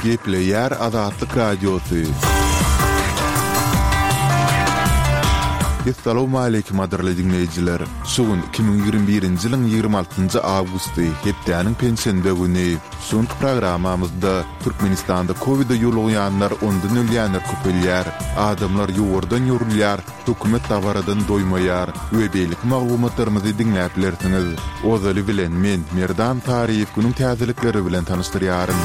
Gepleýär Azatlyk Radiosy. Essalawmaleýkim gadyrly diňleýjiler! Şu gün 2021-nji ýylyň 26-njy awgusty, hepdäniň penşenbe güni. Şu günki programmamyzda Türkmenistanda kowide ýolugýanlar, ondan ölýänler köpelýär. Adamlar ýowardan ýorulýar, Hökümet dabaradan doýmaýar we beýleki maglumatlarymyzy diňläp bilersiňiz. Ozaly bilen men, Merdan Taryýew günüň täzelikleri bilen tanyşdyrýaryn.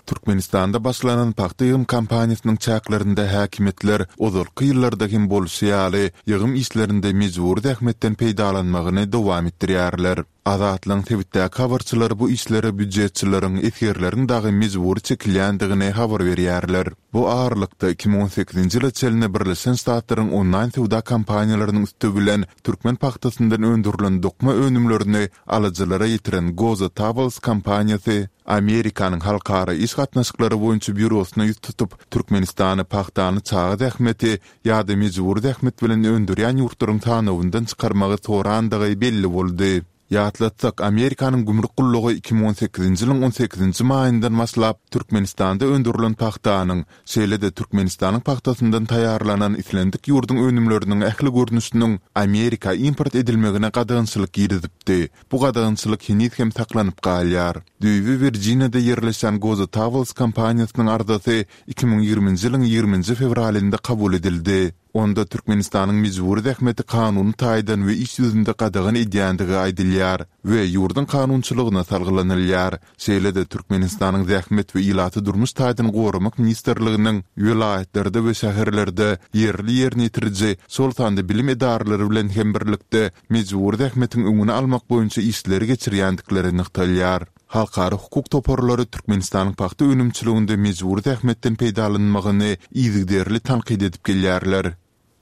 Türkmenistanda başlanan pagta ýygym kampaniýasynyň çäklerinde häkimiýetler ozalky ýyllarda hem bolşy ýaly, ýygym işlerinde mejbury zähmetden peýdalanmagyny dowam etdirýärler. Azatlygyň sebitdäki habarçylary bu işlere býujetçileriň, esgerleriň dagy mejbury çekilýändigini habar berýärler. Bu aralykda, 2018-nji ýyla çenli Birleşen Ştatlaryň onlaýn söwda kompaniýalarynyň üsti bilen türkmen pagtasyndan öndürilen dokma önümlerini alyjylara ýetiren Goza Towels kompaniýasy Amerikanyň Halkara iş gatnaşyklary boýunça býurosyna ýüz tutup, Türkmenistany pagtany çaga zähmeti ýa-da mejbury zähmet bilen öndürýän ýurtlaryň sanawyndan çykarmagy sorandygy belli boldy. Ýatlatsak, Amerikanyň gümrük gullugy 2018-nji ýylyň on sekizinji maýyndan başlap, Türkmenistanda öndürilen pagtanyň, şeýle-de Türkmenistanyň pagtasyndan taýýarlanan islendik ýurduň önümleriniň ähli görnüşiniň Amerika import edilmegine gadagançylyk girizipdi. Bu gadagançylyk heniz hem saklanyp galýar. Düýbi Wirjiniýada ýerleşýän Goza Towels kompaniýasynyň arzasy 2020-nji ýylyň ýigriminji fewralynda kabul edildi. Onda Türkmenistanyň mejbury zähmeti kanuny taýdan we iş ýüzünde gadagan edýändigi aýdylýar we ýurduň kanunçylygyna salgylanylýar. Şeýle-de Türkmenistanyň Zähmet we ilaty durmuş taýdan goramak ministrliginiň welaýatlarda we şäherlerde ýerli ýerine ýetiriji, şol sanda bilim edaralary bilen hem birlikde mejbury zähmetiň öňüni almak boýunça işleri geçirýändikleri nygtalýar. Halkara hukuk toparlary Türkmenistanyň pagta önümçiliginde mejbury zähmetden peýdalanylmagyny yzygiderli tankyt edip gelýärler.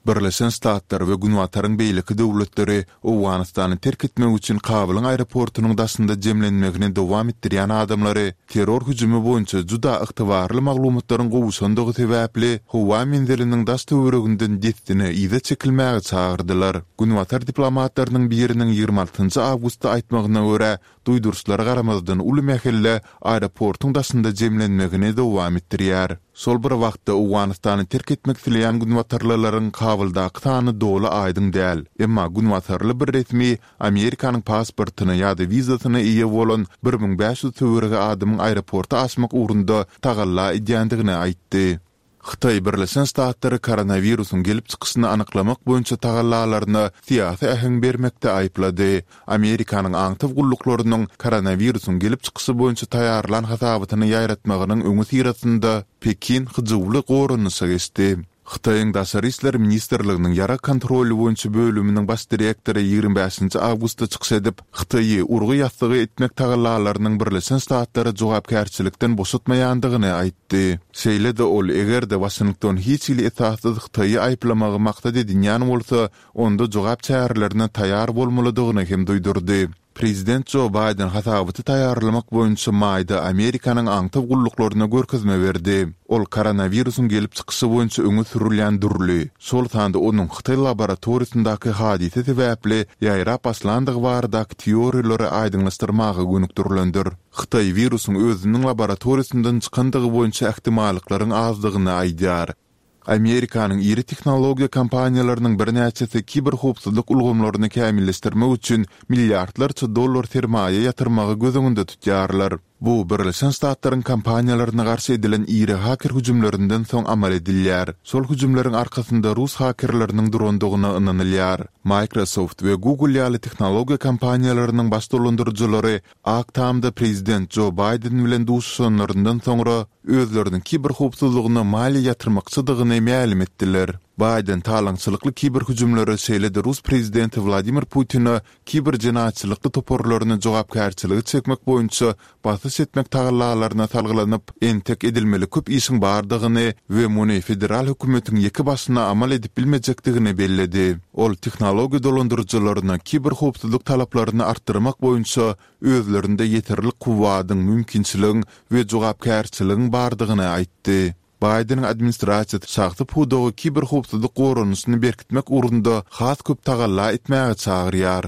Birleşen Ştatlar we Günbataryň beýleki döwletleri Owganystany terk etmek üçin Kabulyň aeroportunyň daşynda jemlenmegini dowam etdirýän adamlary terror hüjümi boýunça juda ygtybarly maglumatlaryň gowuşandygy sebäpli howa menziliniň daş-töwereginden dessine yza çekilmäge çagyrdylar. Günbatar diplomatlarynyň biriniň 26 awgustda aýtmagyna görä, duýduryşlara garamazdan uly mähelle aeroportuň daşynda jemlenmegini dowam etdirýär. Şol bir wagtda, Owganystany terk etmek isleýän günbatarlylaryň Kabuldaky sany doly aýdyň däl. Emma günbatarly bir resmi Amerikanyň pasportyna ýa-da wizasyna eýe bolan 1500 töweregi adamyň aeroporta aşmak ugrunda tagalla edýändigini aýtdy. Hytaý Birleşen Ştatlary koronawirusyň gelip çykyşyny anyklamak boýunça tagallalaryna syýasy äheň bermekde aýyplady. Amerikanyň aňtaw gulluklarynyň koronawirusyň gelip çykyşy boýunça taýýarlan hasabatyny ýaýratmagynyň öňüsyrasynda Pekin hyjuwly goranyşa geçdi. Hytaýyň Daşary işler ministrliginiň ýarag kontroly boýunça bölüminiň baş direktory 25-nji awgustda çykyş edip, Hytaýy urgy ýassygy etmek tagallalarynyň Birleşen Ştatlary jogapkärçilikden boşatmaýandygyny aýtdy. Şeýle-de ol, eger-de Waşington hiç hili esassyz Hytaýy aýyplamagy maksat edinýän bolsa, onda jogap çärelerine taýýar bolmalydygyny hem duýdurdy. Prezident Jo Baýden hasabaty taýýarlamak boýunça maýda Amerikanyň aňtaw gulluklaryna görkezme berdi. Ol koronawirusyň gelip çykyşy boýunça öňe sürülýän dürli, şol sanda onuň hytaý laboratoriýasyndaky hadysa sebäpli ýaýrap başlandygy baradaky teoriýalary aýdyňlaşdyrmaga gönükdirilendir. Hytaý wirusyň özüniň laboratoriýasyndan çykandygy boýunça ähtimallyklaryň azdygyny aýdýar. Amerikanyň iri tehnologiýa kompaniýalarynyň birnäçesi kiberhowpsuzlyk ulgamlaryny kämilleşdirmek üçin milliardlarça dollar sermaýa ýatyrmagy göz öňünde tutýarlar. Bu Birleşen Ştatlaryň kompaniýalaryna garşy edilen iri haker hüjümlerinden soň amal edilýär. Şol hüjümleriň arkasynda rus hakerleriniň durandygyna ynanylýar. Microsoft we Google ýaly tehnologiýa kompaniýalarynyň baş dolandyryjylary Ak Tamda prezident Jo Baýden bilen duşuşanlaryndan soňra, özleriniň kiberhowpsuzlygyna maliýe ýatyrmakçydygyny mälim etdiler. Baýden talaňçylykly kiberhüjümlere, şeýle-de rus prezidenti Wladimir Putine kiber jenaýatçylykly toparlaryny jogapkärçilige çekmek boýunça basyş etmek tagallalaryna salgylanyp, entek edilmeli köp işiň bardygyny we muny federal hökümetiň ýeke başyna amal edip bilmejekdigini belledi. Ol tehnologiýa dolandyryjylaryna kiberhowpsuzlyk talaplaryny artdyrmak boýunça özlerinde ýeterlik kuwwadyň, mümkinçiligiň we jogapkärçiligiň bardygyny aýtdy. Baýdeniň administrasiýasy şahsy pudagy kiberhowpsuzlyk goranyşyny berkitmek ugrunda has köp tagalla etmäge çagyrýar.